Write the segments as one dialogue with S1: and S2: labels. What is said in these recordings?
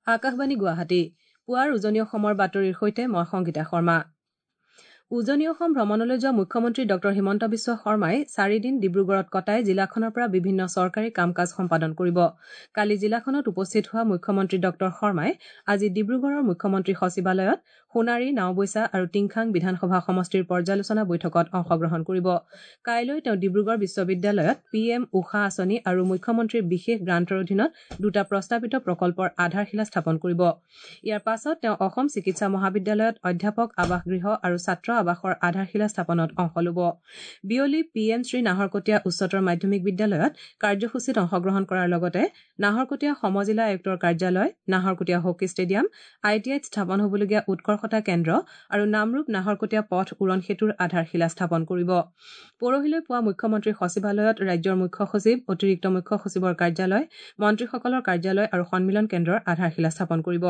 S1: আকাশবাণী গুৱাহাটী, পুৱাৰ উজনি অসমৰ বাতৰিৰ সৈতে মই সংগীতা শৰ্মা। উজনি অসম ভ্ৰমণলৈ যোৱা মুখ্যমন্ত্ৰী ডঃ হিমন্ত বিশ্ব শৰ্মাই চাৰিদিন ডিব্ৰুগড়ত কটাই জিলাখনৰ পৰা বিভিন্ন চৰকাৰী কাম কাজ সম্পাদন কৰিব। কালি জিলাখনত উপস্থিত হোৱা মুখ্যমন্ত্ৰী ডঃ শৰ্মাই আজি ডিব্ৰুগড়ৰ মুখ্যমন্ত্ৰী সচিবালয়ত সোণাৰী, নাওবৈচা আৰু টিংখাং বিধানসভা সমষ্টিৰ পৰ্যালোচনা বৈঠকত অংশগ্ৰহণ কৰিব। কাইলৈ তেওঁ ডিব্ৰুগড় বিশ্ববিদ্যালয়ত পি এম উষা আঁচনি আৰু মুখ্যমন্ত্ৰীৰ বিশেষ গ্ৰাণ্টৰ অধীনত দুটা প্ৰস্তাৱিত প্ৰকল্পৰ আধাৰশিলা স্থাপন কৰিব। ইয়াৰ পাছত তেওঁ অসম চিকিৎসা মহাবিদ্যালয়ত অধ্যাপক আৱাসগৃহ আৰু ছাত্ৰ আৱাসৰ আধাৰশিলা স্থাপনত অংশ ল'ব। বিয়লি পি এম শ্ৰী নাহৰকটীয়া উচ্চতৰ মাধ্যমিক বিদ্যালয়ত কাৰ্যসূচীত অংশগ্ৰহণ কৰাৰ লগতে নাহৰকটীয়া সমজিলা আয়ুক্তৰ কাৰ্যালয়, Naharkatia hockey stadium, I T আইত স্থাপন হ'বলগীয়া উৎকৰ্ষতা কেন্দ্ৰ আৰু নামৰূপ নাহৰকটীয়া পথ উৰণ সেতুৰ আধাৰশিলা স্থাপন কৰিব। পৰহিলৈ পুৱা মুখ্যমন্ত্ৰীৰ সচিবালয়ত ৰাজ্যৰ মুখ্য সচিব, অতিৰিক্ত মুখ্য সচিবৰ কাৰ্যালয়, মন্ত্ৰীসকলৰ কাৰ্যালয় আৰু সন্মিলন কেন্দ্ৰৰ আধাৰশিলা স্থাপন কৰিব।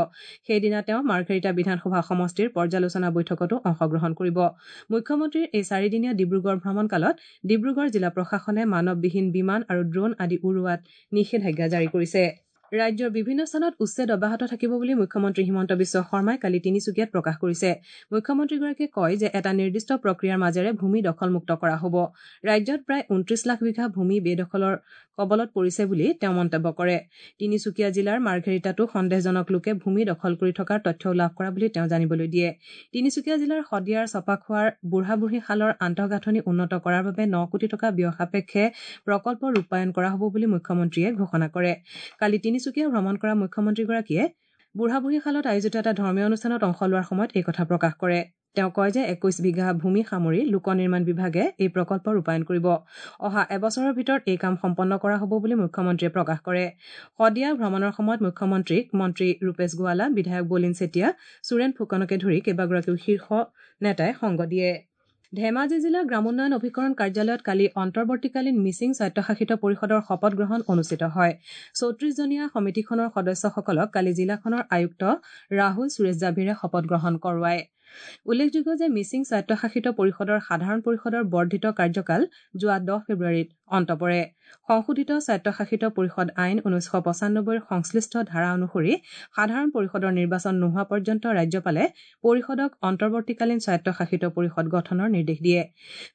S1: সেইদিনা তেওঁ মাৰ্ঘেৰিটা বিধানসভা সমষ্টিৰ পৰ্যালোচনা বৈঠকতো অংশগ্ৰহণ কৰিব। মুখ্যমন্ত্ৰীৰ এই চাৰিদিনীয়া ডিব্ৰুগড় ভ্ৰমণকালত ডিব্ৰুগড় জিলা প্ৰশাসনে মানৱবিহীন বিমান আৰু ড্ৰোণ আদি উৰুৱাত নিষেধাজ্ঞা জাৰি কৰিছে। ৰাজ্যৰ বিভিন্ন স্থানত উচ্ছেদ অব্যাহত থাকিব বুলি মুখ্যমন্ত্ৰী হিমন্ত বিশ্ব শৰ্মাই কালি তিনিচুকীয়াত প্ৰকাশ কৰিছে। মুখ্যমন্ত্ৰীগৰাকীয়ে কয় যে এটা নিৰ্দিষ্ট প্ৰক্ৰিয়াৰ মাজেৰে ভূমি দখলমুক্ত কৰা হ'ব। ৰাজ্যত প্ৰায় ২৯ লাখ বিঘা ভূমি বেদখলৰ কবলত পৰিছে বুলি তেওঁ মন্তব্য কৰে। তিনিচুকীয়া জিলাৰ মাৰ্ঘেৰিটাতো সন্দেহজনক লোকে ভূমি দখল কৰি থকাৰ তথ্যও লাভ কৰা বুলি তেওঁ জানিবলৈ দিয়ে। তিনিচুকীয়া জিলাৰ শদিয়াৰ চপাখোৱাৰ বুঢ়াবুঢ়ীশালৰ আন্তঃগাঁথনি উন্নত কৰাৰ বাবে ৯ কোটি টকা ব্যয় সাপেক্ষে প্ৰকল্প ৰূপায়ণ কৰা হ'ব বুলি মুখ্যমন্ত্ৰীয়ে ঘোষণা কৰে। কালি তিনিচুকীয়া ভ্ৰমণ কৰা মুখ্যমন্ত্ৰীগৰাকীয়ে বুঢ়াবুঢ়ীশালত আয়োজিত এটা ধৰ্মীয় অনুষ্ঠানত অংশ লোৱাৰ সময়ত এই কথা প্ৰকাশ কৰে। তেওঁ কয় যে ২১ বিঘা ভূমি সামৰি লোক নিৰ্মাণ বিভাগে এই প্ৰকল্প ৰূপায়ণ কৰিব। অহা এবছৰৰ ভিতৰত এই কাম সম্পন্ন কৰা হ'ব বুলি মুখ্যমন্ত্ৰীয়ে প্ৰকাশ কৰে। শদিয়া ভ্ৰমণৰ সময়ত মুখ্যমন্ত্ৰীক মন্ত্ৰী ৰূপেশ গোৱালা, বিধায়ক বলিন চেতিয়া, সুৰেণ ফুকনকে ধৰি কেইবাগৰাকীও শীৰ্ষ নেতাই সংগ দিয়ে। ধেমাজি জিলা গ্ৰামোন্নয়ন অভিকৰণ কাৰ্যালয়ত কালি অন্তৰ্বৰ্তীকালীন মিচিং স্বায়ত্তশাসিত পৰিষদৰ শপত গ্ৰহণ অনুষ্ঠিত হয়। ৩৪জনীয়া সমিতিখনৰ সদস্যসকলক কালি জিলাখনৰ আয়ুক্ত ৰাহুল সুৰেশ জাভিৰে শপত গ্ৰহণ কৰোৱায়। উল্লেখযোগ্য যে মিচিং স্বায়ত্তশাসিত পৰিষদৰ সাধাৰণ পৰিষদৰ বৰ্ধিত কাৰ্যকাল যোৱা ১০ ফেব্ৰুৱাৰীত অন্ত পৰে। সংশোধিত স্বায়ত্তশাসিত পৰিষদ আইন ১৯৯৫ৰ সংশ্লিষ্ট ধাৰা অনুসৰি সাধাৰণ পৰিষদৰ নিৰ্বাচন নোহোৱা পৰ্যন্ত ৰাজ্যপালে পৰিষদক অন্তৰ্বৰ্তীকালীন স্বায়ত্তশাসিত পৰিষদ গঠনৰ নিৰ্দেশ দিয়ে।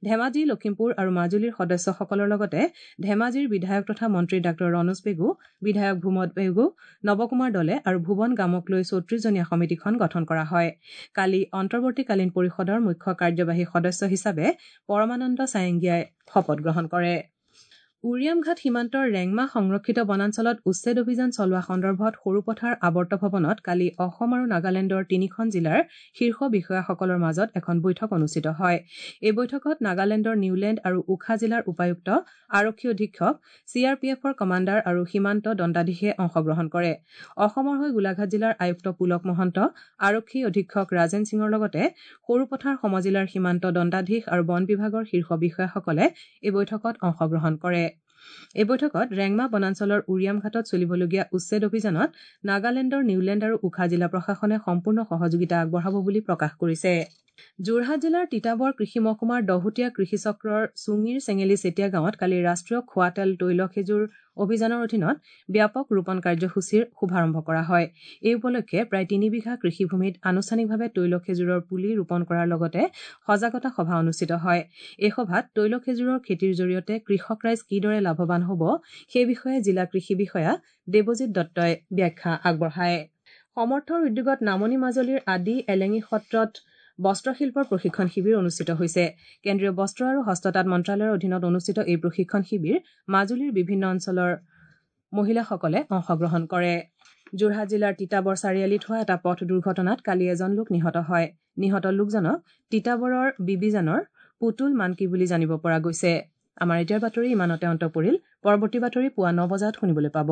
S1: ধেমাজি, লখিমপুৰ আৰু মাজুলীৰ সদস্যসকলৰ লগতে ধেমাজিৰ বিধায়ক তথা মন্ত্ৰী ডাঃ ৰণোজ পেগু, বিধায়ক ভূমত পেগু, নৱকুমাৰ দলে আৰু ভুৱন গামক লৈ ৩৪জনীয়া সমিতিখন গঠন কৰা হয়। কালি অন্তৰ্বৰ্তীকালীন পৰিষদৰ মুখ্য কাৰ্যবাহী সদস্য হিচাপে পৰমানন্দ চায়েংগিয়াই শপত গ্ৰহণ কৰে। উৰিয়ামঘাট সীমান্তৰ ৰেংমা সংৰক্ষিত বনাঞ্চলত উচ্ছেদ অভিযান চলোৱা সন্দৰ্ভত সৰুপথাৰ আৱৰ্ত ভৱনত কালি অসম আৰু নাগালেণ্ডৰ তিনিখন জিলাৰ শীৰ্ষ বিষয়াসকলৰ মাজত এখন বৈঠক অনুষ্ঠিত হয়। এই বৈঠকত নাগালেণ্ডৰ নিউলেণ্ড আৰু উখা জিলাৰ উপায়ুক্ত, আৰক্ষী অধীক্ষক, চি আৰ পি এফৰ কমাণ্ডাৰ আৰু সীমান্ত দণ্ডাধীশে অংশগ্ৰহণ কৰে। অসমৰ হৈ গোলাঘাট জিলাৰ আয়ুক্ত পুলক মহন্ত, আৰক্ষী অধীক্ষক ৰাজেন সিঙৰ লগতে সৰুপথাৰ সমজিলাৰ সীমান্ত দণ্ডাধীশ আৰু বন বিভাগৰ শীৰ্ষ বিষয়াসকলে এই বৈঠকত অংশগ্ৰহণ কৰে। এই বৈঠকত ৰেংমা বনাঞ্চলৰ উৰিয়ামঘাটত চলিবলগীয়া উচ্ছেদ অভিযানত নাগালেণ্ডৰ নিউলেণ্ড আৰু উখা জিলা প্ৰশাসনে সম্পূৰ্ণ সহযোগিতা আগবঢ়াব বুলি প্ৰকাশ কৰিছে। যোৰহাট জিলাৰ তিতাবৰ কৃষি মহকুমাৰ দহোটীয়া কৃষি চক্ৰৰ চুঙিৰ চেঙেলী চেতিয়া গাঁৱত কালি ৰাষ্ট্ৰীয় খোৱা তেল তৈল খেজুৰ অভিযানৰ অধীনত ব্যাপক ৰোপণ কাৰ্যসূচীৰ শুভাৰম্ভ কৰা হয়। এই উপলক্ষে প্ৰায় ৩ বিঘা কৃষিভূমিত আনুষ্ঠানিকভাৱে তৈল খেজুৰৰ পুলি ৰোপণ কৰাৰ লগতে সজাগতা সভা অনুষ্ঠিত হয়। এই সভাত তৈল খেজুৰৰ খেতিৰ জৰিয়তে কৃষক ৰাইজ কিদৰে লাভৱান হ'ব সেই বিষয়ে জিলা কৃষি বিষয়া দেৱজিৎ দত্তই ব্যাখ্যা আগবঢ়ায়। সমৰ্থৰ উদ্যোগত নামনি মাজুলীৰ আদি এলেঙি সত্ৰত বস্ত্ৰশিল্পৰ প্ৰশিক্ষণ শিবিৰ অনুষ্ঠিত হৈছে। কেন্দ্ৰীয় বস্ত্ৰ আৰু হস্ততাঁত মন্ত্ৰালয়ৰ অধীনত অনুষ্ঠিত এই প্ৰশিক্ষণ শিবিৰ মাজুলীৰ বিভিন্ন অঞ্চলৰ মহিলাসকলে অংশগ্ৰহণ কৰে। যোৰহাট জিলাৰ তিতাবৰ চাৰিআলিত হোৱা এটা পথ দুৰ্ঘটনাত কালি এজন লোক নিহত হয়। নিহত লোকজনক তিতাবৰৰ বিবিজানৰ পুতুল মানকি বুলি জানিব পৰা গৈছে। আমাৰ এতিয়াৰ বাতৰি ইমানতে অন্ত পৰিল। পৰৱৰ্তী বাতৰি পুৱা ৯ বজাত শুনিবলৈ পাব।